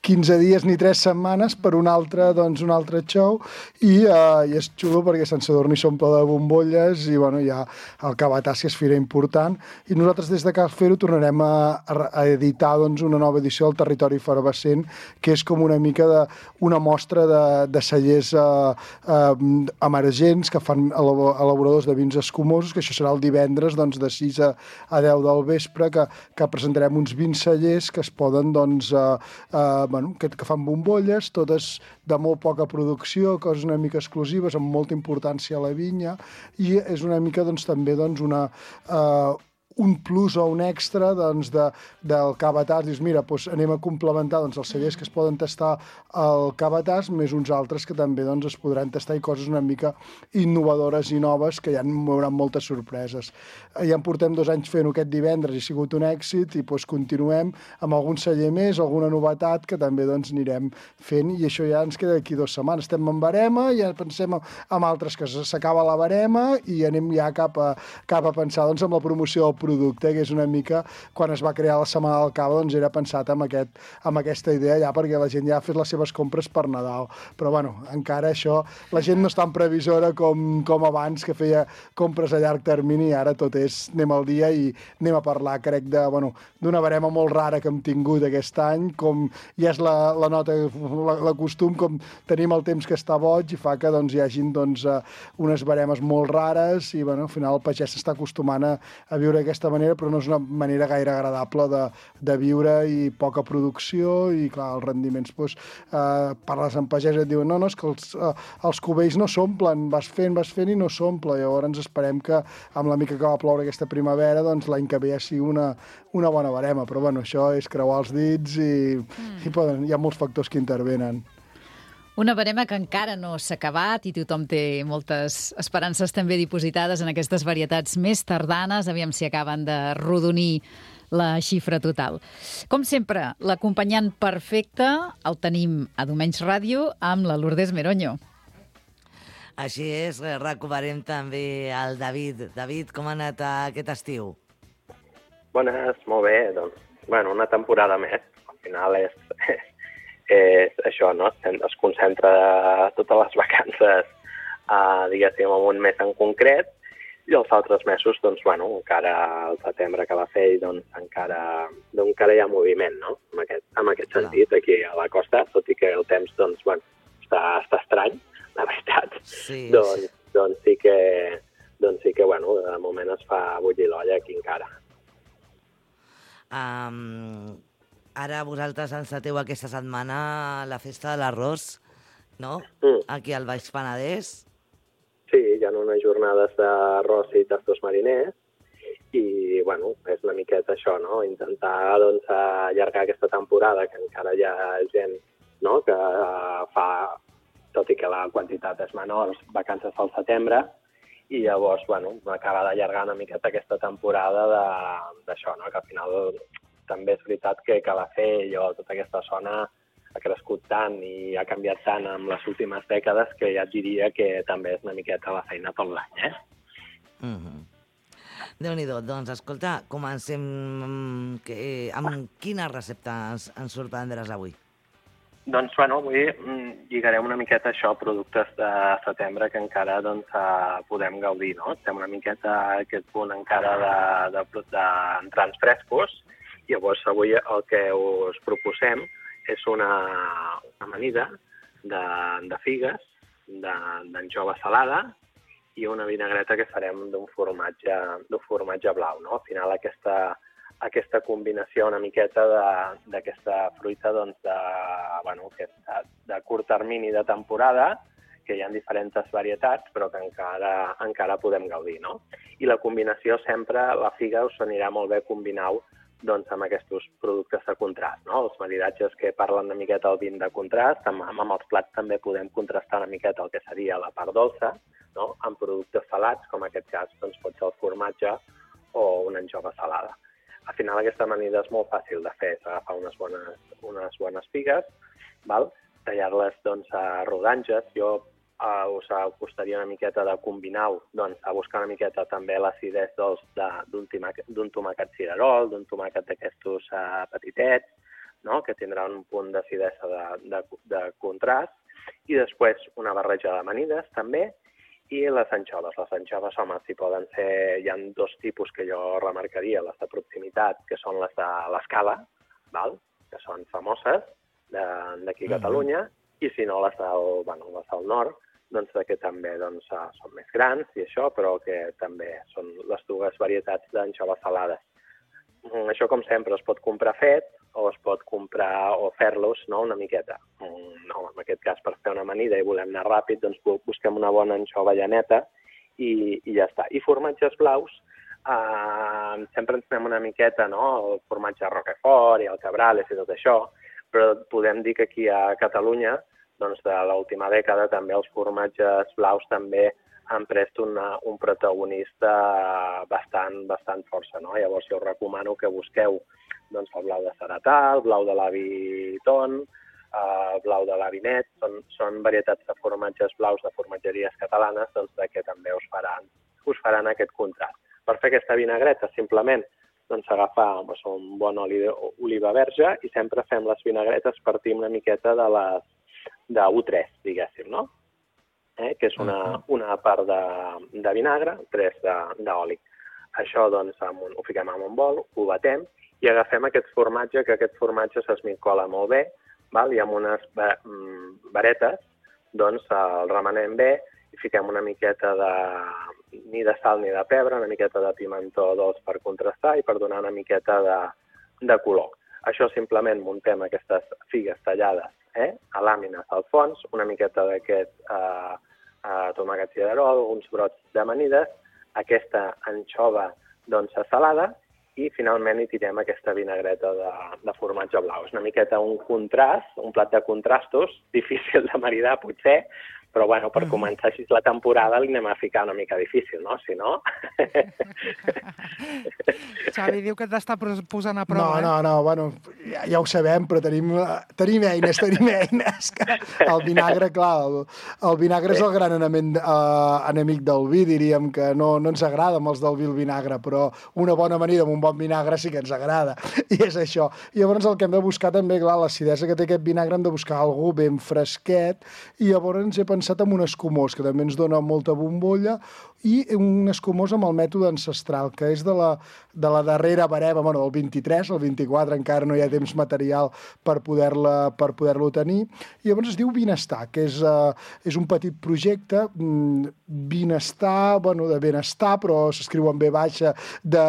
quinze dies ni tres setmanes per un altre, doncs, un altre show, i, uh, i és xulo perquè Sant Sadurní s'omple de bombolles i bueno, hi ha el Cabatast, que és fira important, i nosaltres des de Cal Fer-ho tornarem a, a editar doncs, una nova edició del Territori Efervescent, que és com una mica de, una mostra de, de cellers uh, uh, emergents que fan elaboradors de vins escumosos, que això serà el divendres doncs, de sis a, a deu del vespre, que, que presentarem uns vins cellers que es poden doncs, uh, uh, bueno, que, que fan bombolles, totes de molt poca producció, coses una mica exclusives, amb molta importància a la vinya, i és una mica doncs, també doncs, una... Uh, un plus o un extra doncs, de, del Cabatast. Dius, mira, doncs anem a complementar doncs, els cellers que es poden tastar al Cabatast, més uns altres que també doncs, es podran tastar, i coses una mica innovadores i noves, que ja hi haurà moltes sorpreses. Ja en portem dos anys fent-ho aquest divendres, i ha sigut un èxit, i doncs, continuem amb algun celler més, alguna novetat que també doncs, anirem fent, i això ja ens queda d'aquí dues setmanes. Estem en barema, ja pensem en altres que s'acaba la barema, i anem ja cap a, cap a pensar doncs, en la promoció del producte, que és una mica, quan es va crear la Setmana del Cava, doncs era pensat amb, aquest, amb aquesta idea ja, perquè la gent ja ha fet les seves compres per Nadal. Però bueno, encara això, la gent no és tan previsora com, com abans, que feia compres a llarg termini, i ara tot és anem al dia i anem a parlar, crec, de, bueno, d'una barema molt rara que hem tingut aquest any, com ja és la, la nota, la, la costum, com tenim el temps que està boig, i fa que doncs, hi hagin doncs, unes baremes molt rares, i bueno, al final el pagès s'està acostumant a, a viure aquesta d'aquesta manera, però no és una manera gaire agradable de, de viure, i poca producció, i clar, els rendiments, doncs, eh, parles amb pagès i et diuen no, no, és que els, eh, els cubells no s'omplen, vas fent, vas fent i no s'omple. Llavors esperem que amb la mica que va ploure aquesta primavera, doncs l'any que ve ja sigui una, una bona barema, però bueno, això és creuar els dits i, mm. i poden, hi ha molts factors que intervenen. Una barema que encara no s'ha acabat i tothom té moltes esperances també dipositades en aquestes varietats més tardanes. Aviam si acaben de rodonir la xifra total. Com sempre, l'acompanyant perfecte el tenim a Domenys Ràdio amb la Lourdes Meroño. Així és, recuperem també el David. David, com ha anat aquest estiu? Bones, molt bé. Doncs, bueno, una temporada més. Al final és... és això, no? Es concentra totes les vacances, eh, diguéssim, en un mes en concret, i els altres mesos, doncs, bueno, encara el setembre que va fer, doncs, encara, doncs, encara hi ha moviment, no? En aquest, en aquest sentit, aquí a la costa, tot i que el temps, doncs, bueno, està, està estrany, la veritat. Sí, doncs, sí. Doncs, sí que, doncs sí que, bueno, de moment es fa bullir l'olla aquí encara. Um... Ara vosaltres enceteu aquesta setmana la festa de l'arròs, no? Mm. Aquí al Baix Penedès. Sí, hi ha unes jornades d'arròs i tastos mariners i, bueno, és una miqueta això, no? Intentar, doncs, allargar aquesta temporada, que encara hi ha gent, no?, que fa, tot i que la quantitat és menor, vacances al setembre, i llavors, bueno, acaba d'allargar una miqueta aquesta temporada d'això, no?, que al final... També és veritat que Calafell o tota aquesta zona ha crescut tant i ha canviat tant en les últimes dècades que ja et diria que també és una miqueta la feina tot l'any, eh? Mm-hmm. Déu-n'hi-do. Doncs, escolta, comencem que, amb quina recepta ens, ens sorprendràs avui? Doncs, bueno, avui mm, lligarem una miqueta això, productes de setembre que encara doncs, eh, podem gaudir, no? Estem una miqueta a aquest punt encara d'entrar en frescos, i llavors avui el que us proposem és una, una amanida de, de figues, d'anxova salada, i una vinagreta que farem d'un formatge, d'un formatge blau, no? Al final aquesta... aquesta combinació una miqueta d'aquesta fruita doncs, de, bueno, que de, de curt termini de temporada, que hi ha diferents varietats, però que encara, encara podem gaudir, no? I la combinació sempre, la figa us anirà molt bé combinar-ho doncs, amb aquests productes de contrast, no? Els maridatges que parlen una miqueta del vin de contrast, amb, amb els plats també podem contrastar una miqueta el que seria la part dolça, no? Amb productes salats, com en aquest cas doncs, pot ser el formatge o una anxova salada. Al final aquesta amanida és molt fàcil de fer, és agafar unes bones, unes bones figues, val? Tallar-les doncs, a rodanges. Jo uh, us acostaria una miqueta de combinar-ho, doncs, a buscar una miqueta també l'acidès d'un tomàquet cirerol, d'un tomàquet d'aquestos uh, petitets, no? Que tindrà un punt d'acidesa de, de, de contrast, i després una barreja d'amanides també, i les anxoves. Les anxoves, home, si poden ser... Hi ha dos tipus que jo remarcaria, les de proximitat, que són les de l'Escala, val? Que són famoses d'aquí a Catalunya, i si no, les del, bueno, les del nord, doncs que també doncs, són més grans i això, però que també són les dues varietats d'anxoves salades. Això, com sempre, es pot comprar fet o es pot comprar o fer-los, no?, una miqueta. No, en aquest cas, per fer una amanida i volem anar ràpid, doncs busquem una bona anxova llaneta i, i ja està. I formatges blaus, eh, sempre ens anem una miqueta, no?, el formatge Roquefort i el Cabrales i tot això, però podem dir que aquí a Catalunya, doncs de l'última dècada, també els formatges blaus també han pres una, un protagonista bastant, bastant força, no? Llavors jo us recomano que busqueu doncs, el blau de Ceratà, el blau de l'avi Ton, el blau de l'avi Net, són, són varietats de formatges blaus de formatgeries catalanes doncs, que també us faran, us faran aquest contrast. Per fer aquesta vinagreta, simplement doncs, agafar doncs, un bon oli d'oliva verge i sempre fem les vinagretes partim una miqueta de les de u tres, diguéssim, no? Eh, que és una, una part de, de vinagre, tres d'oli. Això doncs, un, ho fiquem en un bol, ho batem i agafem aquest formatge, que aquest formatge s'esmicola molt bé, val? I amb unes varetes doncs, el remenem bé i fiquem una miqueta de, ni de sal ni de pebre, una miqueta de pimentó dolç per contrastar i per donar una miqueta de, de color. Això simplement muntem aquestes figues tallades eh, a làmines al fons, una miqueta d'aquest eh, eh, tomàquet cirerol, uns brots d'amanides, aquesta anxova doncs, salada i finalment hi tirem aquesta vinagreta de, de formatge blau. És una miqueta un contrast, un plat de contrastos, difícil de maridar potser, però bueno, per començar així la temporada li anem a ficar una mica difícil, no? Si no... Xavi diu que t'està posant a No, prova, eh? no, no, bueno, ja, ja ho sabem, però tenim, tenim eines, tenim eines. Que el vinagre, clar, el, el vinagre és el gran enemic, uh, enemic del vi, diríem que no, no ens agrada amb els del vi el vinagre, però una bona amanida amb un bon vinagre sí que ens agrada, i és això. I llavors el que hem de buscar també, clar, l'acidesa que té aquest vinagre, hem de buscar algú ben fresquet, i llavors he pensat amb un escumós, que també ens dona molta bombolla, i un escumós amb el mètode ancestral, que és de la, de la darrera barema, bueno, del vint-i-tres, el vint-i-quatre encara no hi ha temps material per poder-la per poder-lo tenir, i llavors es diu Vinestar, que és, uh, és un petit projecte, mm, Vinestar, bueno, de benestar, però s'escriu en B baixa, de,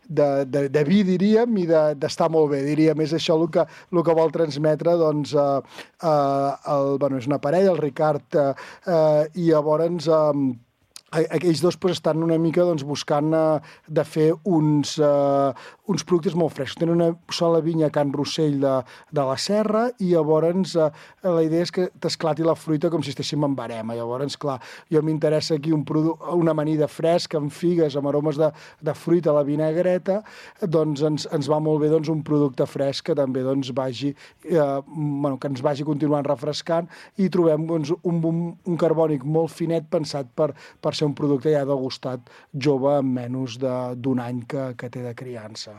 de, de, de vi, diríem, i d'estar de, molt bé, diríem. És això el que, el que vol transmetre, doncs, uh, uh, el, bueno, és una parella, el Ricard, uh, uh, i llavors... Uh, aquells dos pues, estan una mica doncs, buscant uh, de fer uns, uh, uns productes molt frescos. Tenen una sola vinya a Can Rossell de, de la Serra i llavors uh, la idea és que t'esclati la fruita com si estéssim en barema. Llavors, clar, jo m'interessa aquí un una amanida fresca amb figues, amb aromes de, de fruita a la vinagreta, doncs ens, ens va molt bé doncs, un producte fresc que també doncs, vagi, uh, bueno, que ens vagi continuant refrescant i trobem doncs, un, un, un carbònic molt finet pensat per, per ser un producte ja degustat jove en menys d'un any que, que té de criança.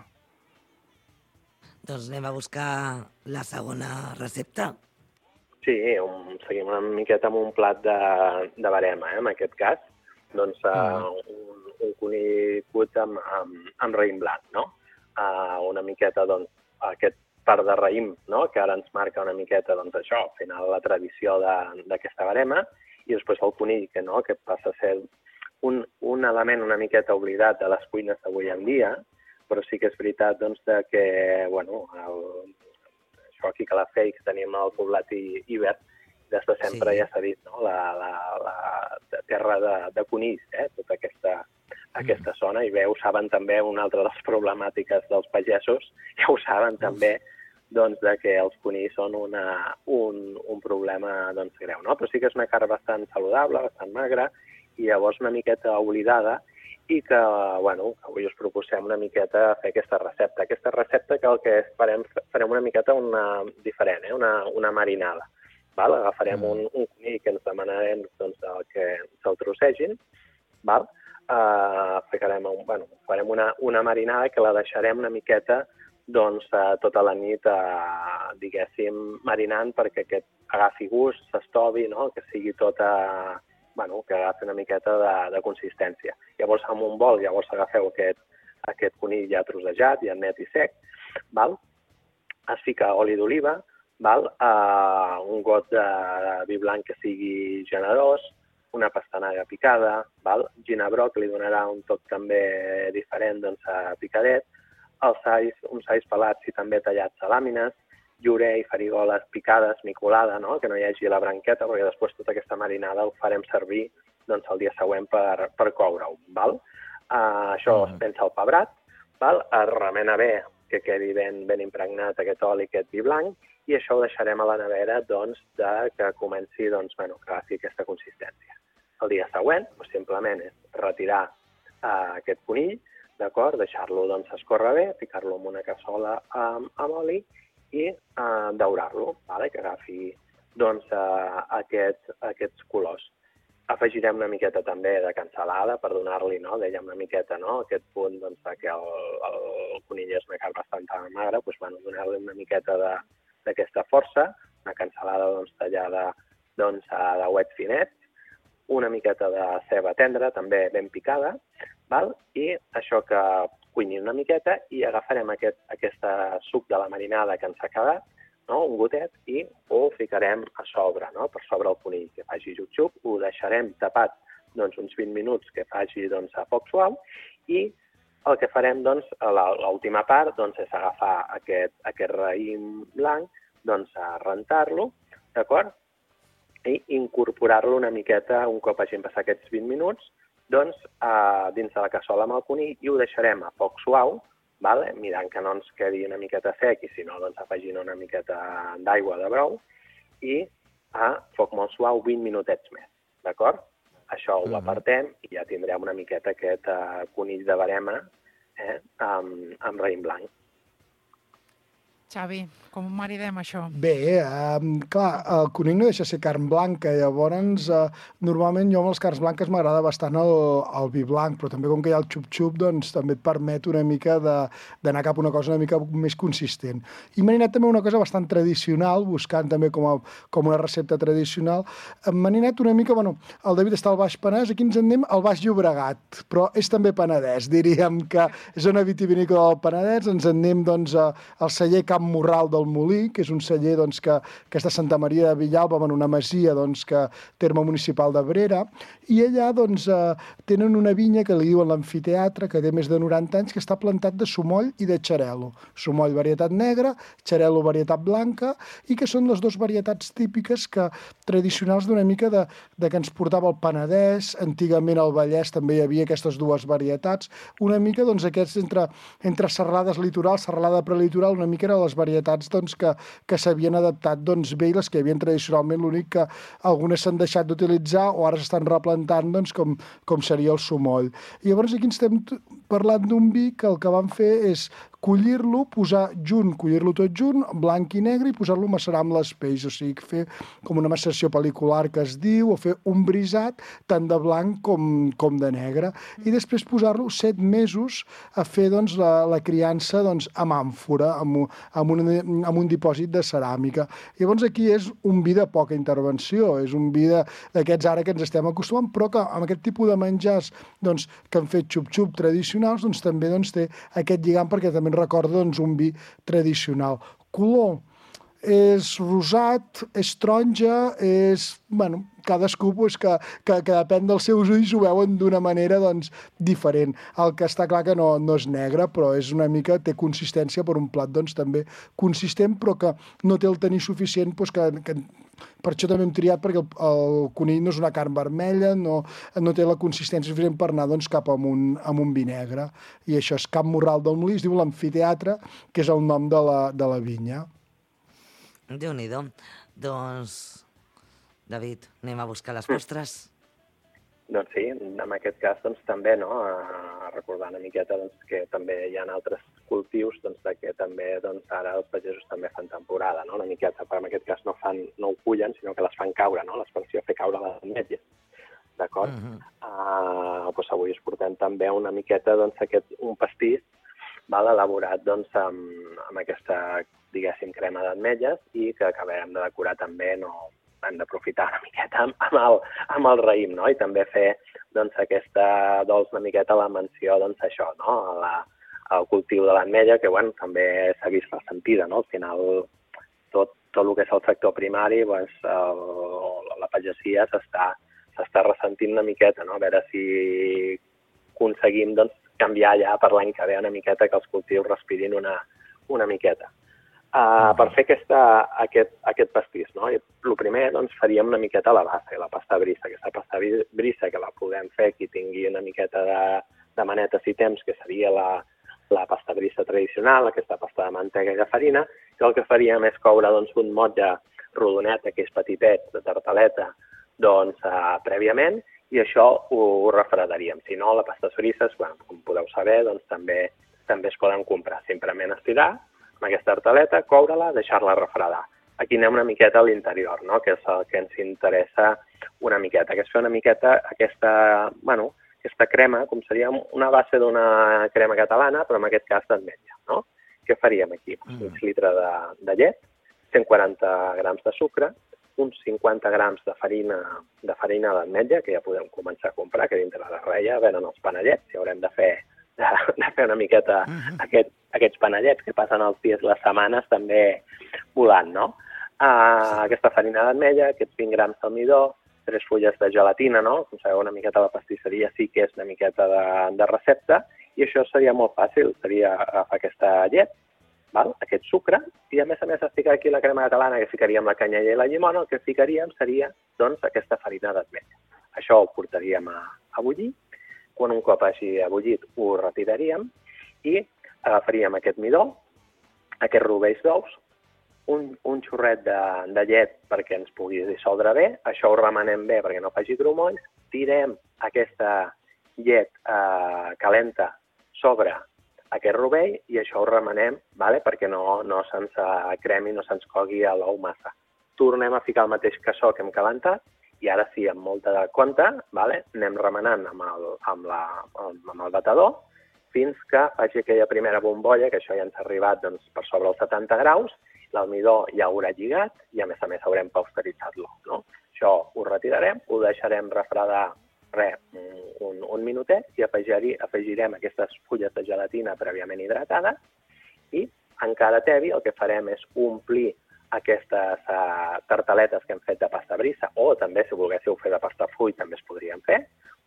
Doncs anem a buscar la segona recepta. Sí, un, seguim una miqueta amb un plat de, de barema, eh, en aquest cas. Doncs uh, un, un conill cuit amb, amb, amb raïm blanc, no? Uh, una miqueta, doncs, aquest part de raïm, no?, que ara ens marca una miqueta, doncs, això, al final la tradició d'aquesta barema, i després el conill, que no, que passa a ser un, un element una miqueta oblidat de les cuines d'avui en dia, però sí que és veritat, doncs, de que, bueno, el, això aquí que la Feix tenim el poblat Iber, des de sempre sí. Ja s'ha dit, no? La, la, la terra de, de conills, eh? Tota aquesta, aquesta zona, i bé, ho saben també, una altra de les problemàtiques dels pagesos, ja ho saben també, doncs, de que els conills són una, un, un problema, doncs, greu, no? Però sí que és una carn bastant saludable, bastant magra, i llavors una miqueta oblidada, i que, bueno, avui us proposem una miqueta fer aquesta recepta. Aquesta recepta que el que farem, farem una miqueta una diferent, eh? una, una marinada. Val? Agafarem un, un conill que ens demanarem, doncs, el que se'l trossegin, val? Uh, ficarem, un, bueno, farem una, una marinada que la deixarem una miqueta, doncs, uh, tota la nit, uh, diguéssim, marinant perquè aquest agafi gust, s'estovi, no? Que sigui tota... Bueno, que agafi una miqueta de, de consistència. Llavors, amb un bol, llavors agafeu aquest, aquest conill ja trossejat, ja net i sec, val? Es fica oli d'oliva, val? Uh, un got de vi blanc que sigui generós, una pastanaga picada, val? Ginebrot, que li donarà un toc també diferent, doncs, a picadet, els sais, uns sais pelats i també tallats a làmines, llorer i farigoles picades, micolada, no? Que no hi hagi la branqueta, perquè després tota aquesta marinada ho farem servir, doncs, el dia següent per, per coure-ho. Val? Uh, això es pensa al pebrat, val? Es remena bé, que quedi ben, ben impregnat aquest oli, aquest vi blanc, i això ho deixarem a la nevera, doncs, de que comenci, doncs, bueno, que agafi aquesta consistència. El dia següent, doncs, simplement és retirar uh, aquest conill, d'acord? Deixar-lo, doncs, escórrer bé, ficar-lo en una cassola amb, amb oli, i uh, daurar-lo, vale? Que agafi, doncs, uh, aquest, aquests colors. Afegirem una miqueta també de cansalada per donar-li, no? Dèiem una miqueta, no? Aquest punt, doncs, que el, el conill és una carn bastant magra, doncs, bueno, donar-li una miqueta d'aquesta força, una cansalada, doncs, tallada, doncs, de uet finets, una miqueta de ceba tendra, també ben picada, val? I això que cuini una miqueta i agafarem aquest, aquest suc de la marinada que ens ha quedat, no? Un gotet, i ho ficarem a sobre, no? Per sobre el conill, que faci xup-xup, ho deixarem tapat, doncs, uns vint minuts que faci, doncs, a foc suau, i el que farem, doncs, l'última part, doncs, és agafar aquest, aquest raïm blanc, doncs, a rentar-lo, d'acord? I incorporar-lo una miqueta, un cop hagin passat aquests vint minuts, doncs, uh, dins de la cassola amb el conill, i ho deixarem a foc suau, vale? Mirant que no ens quedi una miqueta sec, i si no, doncs, afegint una miqueta d'aigua de brou, i a foc molt suau vint minutets més, d'acord? Això ho apartem i ja tindrem una miqueta aquest uh, conill de barema, eh, amb, amb raïm blanc. Xavi, com ho maridem, això? Bé, eh, clar, el conill no deixa ser carn blanca, llavors, eh, normalment jo amb les carns blanques m'agrada bastant el, el vi blanc, però també com que hi ha el xup-xup, doncs també et permet una mica d'anar cap a una cosa una mica més consistent. I m'he anat també una cosa bastant tradicional, buscant també com, a, com una recepta tradicional. M'he anat una mica, bueno, el David està al Baix Penedès, aquí ens en anem al Baix Llobregat, però és també Penedès, diríem que és una vitivinícola del Penedès, ens en anem, doncs, al celler Camp Morral del Molí, que és un celler, doncs, que, que és de Santa Maria de Villalba, en una masia, doncs, que terme municipal d'Abrera, i allà, doncs, eh, tenen una vinya que li diuen l'Amfiteatre, que té més de noranta anys, que està plantat de sumoll i de xarel·lo. Sumoll varietat negra, xarel·lo varietat blanca, i que són les dues varietats típiques que tradicionals d'una mica de, de que ens portava el Penedès, antigament al Vallès també hi havia aquestes dues varietats, una mica, doncs, aquests entre, entre serralades litorals, serralada prelitoral, una mica eren les varietats, doncs, que, que s'havien adaptat, doncs, bé, i les que hi havia tradicionalment, l'únic que algunes s'han deixat d'utilitzar o ara s'estan replantant, doncs, com, com seria el sumoll. I llavors aquí estem parlant d'un vi que el que van fer és collir-lo, posar junt, collir-lo tot junt, blanc i negre, i posar-lo a macerar amb les peix, o sigui, fer com una maceració pel·licular que es diu, o fer un brisat tant de blanc com, com de negre, i després posar-lo set mesos a fer doncs, la, la criança doncs, amb àmfora, amb, amb, un, amb un dipòsit de ceràmica. Llavors aquí és un vi de poca intervenció, és un vi d'aquests ara que ens estem acostumant, però que amb aquest tipus de menjars doncs, que han fet xup-xup tradicionals doncs, també doncs, té aquest lligam perquè també ens recorda doncs, un vi tradicional. Color és rosat, és taronja, és... Bueno, cadascú pues, que, que, que depèn dels seus ulls ho veuen d'una manera doncs, diferent. El que està clar que no, no és negre, però és una mica, té consistència per un plat doncs, també consistent, però que no té el tenir suficient, doncs, que, que per això també hem triat, perquè el, el conill no és una carn vermella, no, no té la consistència suficient per anar doncs, cap a un, a un vi negre. I això és Camp Morral del Molí, es diu l'amfiteatre, que és el nom de la, de la vinya. Déu-n'hi-do. Doncs, David, anem a buscar les postres? Doncs sí, en aquest cas doncs, també, no? A recordar una miqueta doncs, que també hi ha altres cultius doncs, de que també doncs, ara els pagesos també fan temporada, no? Una miqueta, però en aquest cas no, fan, no ho cullen, sinó que les fan caure, no? L'expressió fer caure les ametlles. D'acord? Uh -huh. uh, doncs avui us portem també una miqueta doncs, aquest, un pastís val, elaborat doncs, amb, amb aquesta, diguéssim, crema d'ametlles i que acabarem de decorar també, no, hem d'aprofitar una miqueta amb, amb, el, amb el raïm, no? I també fer doncs, aquesta dolç una miqueta la menció doncs, això, no? La, el cultiu de l'ametlla, que bueno, també s'ha vist ressentida, no? Al final, tot, tot el que és el sector primari, doncs, el, la pagesia s'està s'està ressentint una miqueta, no? A veure si aconseguim doncs, canviar ja per l'any que ve una miqueta, que els cultius respirin una, una miqueta. Uh, per fer aquesta, aquest, aquest pastís, no? I el primer doncs, faríem una miqueta la base, la pasta brissa. Aquesta pasta brissa que la podem fer qui tingui una miqueta de, de maneta si temps, que seria la, la pasta brissa tradicional, aquesta pasta de mantega i de farina, que el que faríem és coure doncs, un motlle rodonet, aquells petitets de tartaleta, doncs, uh, prèviament, i això ho, ho refredaríem. Si no, les pastes brisses, bueno, com podeu saber, doncs, també, també es poden comprar. Simplement estirar amb aquesta tartaleta, coure-la, deixar-la refredar. Aquí anem una miqueta a l'interior, no? Que és el que ens interessa una miqueta, que és fer una miqueta aquesta, bueno, aquesta crema, com seria una base d'una crema catalana, però en aquest cas d'ametlla, no? Què faríem aquí? Mm. Un litre de, de llet, cent quaranta grams de sucre, uns cinquanta grams de farina de farina d'ametlla, que ja podem començar a comprar, que dintre de reia venen els panellets, i haurem de fer, de, de fer una miqueta uh-huh. aquest, aquests panellets que passen els dies, les setmanes, també volant, no? Uh, sí. Aquesta farina d'ametlla, aquests vint grams d'almidó, tres fulles de gelatina, no? Com sabeu, una miqueta la pastisseria sí que és una miqueta de, de recepta, i això seria molt fàcil, seria agafar aquesta llet, val? Aquest sucre, i a més a més de ficar aquí la crema catalana, que ficaríem la canyella i la llimona, el que ficaríem seria doncs, aquesta farina d'ametlla. Això ho portaríem a, a bullir, quan un cop hagi ebullit ho retiraríem i agafaríem aquest midó, aquests rovells d'ous, un, un xorret de, de llet perquè ens pugui dissoldre bé, això ho remenem bé perquè no faci grumolls, tirem aquesta llet eh, calenta sobre aquest rovell i això ho remenem, vale? Perquè no, no se'ns cremi, no se'ns cogui a l'ou massa. Tornem a ficar el mateix cassó que hem calentat i ara sí, amb molta de compte, vale? Anem remenant amb el, amb, la, amb el batedor fins que faci aquella primera bombolla, que això ja ens ha arribat doncs, per sobre els setanta graus, l'almidó ja haurà lligat i a més a més haurem pasteuritzat-lo. No? Això ho retirarem, ho deixarem refredar res, un, un minutet i afegir, afegirem aquestes fulles de gelatina prèviament hidratades i encara tevi el que farem és omplir aquestes uh, tartaletes que hem fet de pasta brissa o també si volguéssiu fer de pasta full també es podrien fer,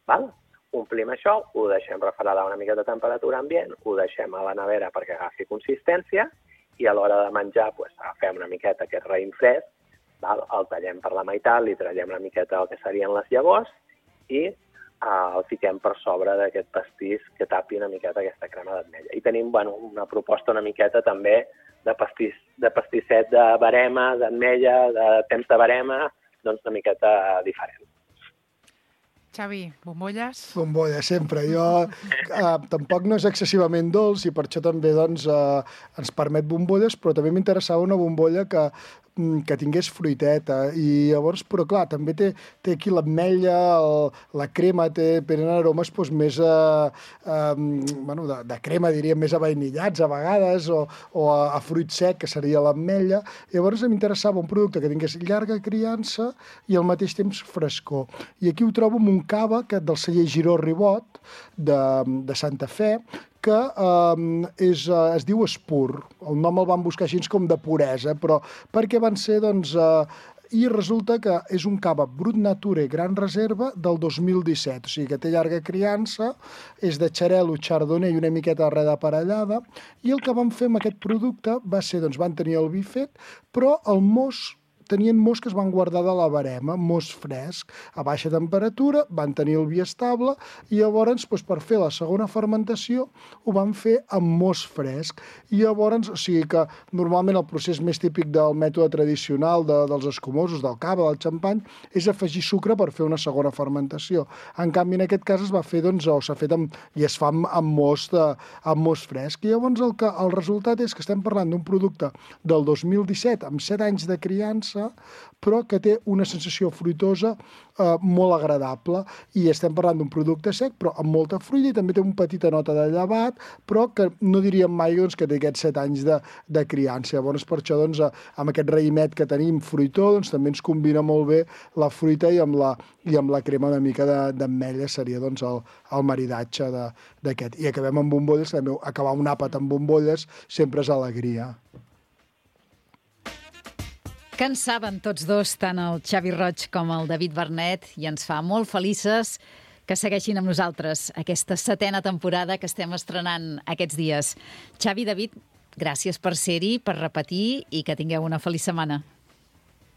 val? Omplim això, ho deixem refredar una mica de temperatura ambient, ho deixem a la nevera perquè agafi consistència i a l'hora de menjar pues, agafem una miqueta aquest raïm fresc, val? El tallem per la meitat, li traiem una miqueta el que serien les llavors i uh, el fiquem per sobre d'aquest pastís que tapi una miqueta aquesta crema d'ametlla. I tenim bueno, una proposta una miqueta també de, pastís, de pastisset de barema, d'ametlla, de temps de barema, doncs una miqueta diferent. Xavi, bombolles? Bombolles, sempre. Jo eh, tampoc no és excessivament dolç i per això també doncs, eh, ens permet bombolles, però també m'interessava una bombolla que que tingués fruiteta, i llavors, però clar, també té, té aquí l'ametlla, la crema, té, tenen aromes doncs, més a, a, bueno, de, de crema, diríem, més avainillats a vegades, o, o a, a fruit sec, que seria l'ametlla. Llavors m'interessava un producte que tingués llarga criança i al mateix temps frescor. I aquí ho trobo amb un cava que, del celler Giró Ribot, de, de Santa Fe, que eh, és, eh, es diu Espur. El nom el van buscar així com de puresa, però perquè van ser, doncs... Eh, i resulta que és un cava Brut Nature Gran Reserva del dos mil disset, o sigui que té llarga criança, és de xarel·lo, chardonnay i una miqueta de reda aparellada, i el que van fer amb aquest producte va ser, doncs van tenir el vi fet, però el mos tenien mos que es van guardar de la barema, mos fresc, a baixa temperatura, van tenir el vi estable, i llavors, doncs, per fer la segona fermentació, ho van fer amb mos fresc. I llavors, o sigui que normalment el procés més típic del mètode tradicional de, dels escumosos, del cava, del xampany, és afegir sucre per fer una segona fermentació. En canvi, en aquest cas es va fer, doncs, o s'ha fet amb, i es fa amb, amb, mos de, amb mos fresc. I llavors el, que, el resultat és que estem parlant d'un producte del dos mil disset, amb set anys de criança, però que té una sensació fruitosa eh, molt agradable, i estem parlant d'un producte sec però amb molta fruita, i també té una petita nota de llevat, però que no diríem mai doncs, que té aquests set anys de, de criança. Llavors per això doncs, amb aquest raïmet que tenim fruitó, doncs, també ens combina molt bé la fruita, i amb la, i amb la crema una mica d'ametlla seria doncs, el, el maridatge d'aquest. I acabem amb bombolles, també acabar un àpat amb bombolles sempre és alegria. Que en saben tots dos, tant el Xavi Roig com el David Vernet, i ens fa molt felices que segueixin amb nosaltres aquesta setena temporada que estem estrenant aquests dies. Xavi, David, gràcies per ser-hi, per repetir, i que tingueu una feliç setmana.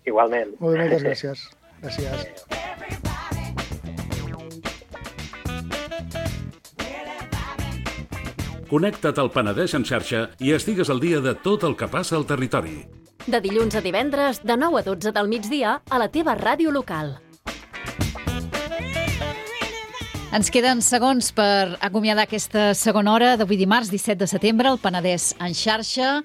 Igualment. Molt bé, moltes gràcies. Gràcies. Connecta't al Penedès en xarxa i estigues al dia de tot el que passa al territori. De dilluns a divendres, de nou a dotze del migdia, a la teva ràdio local. Ens queden segons per acomiadar aquesta segona hora d'avui dimarts, disset de setembre, al Penedès en xarxa.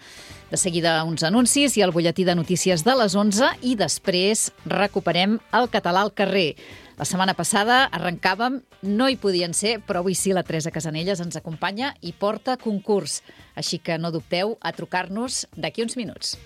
De seguida uns anuncis i el butlletí de notícies de les onze, i després recuperem el català al carrer. La setmana passada arrencàvem, no hi podien ser, però avui sí la Teresa Casanelles ens acompanya i porta concurs. Així que no dubteu a trucar-nos d'aquí uns minuts.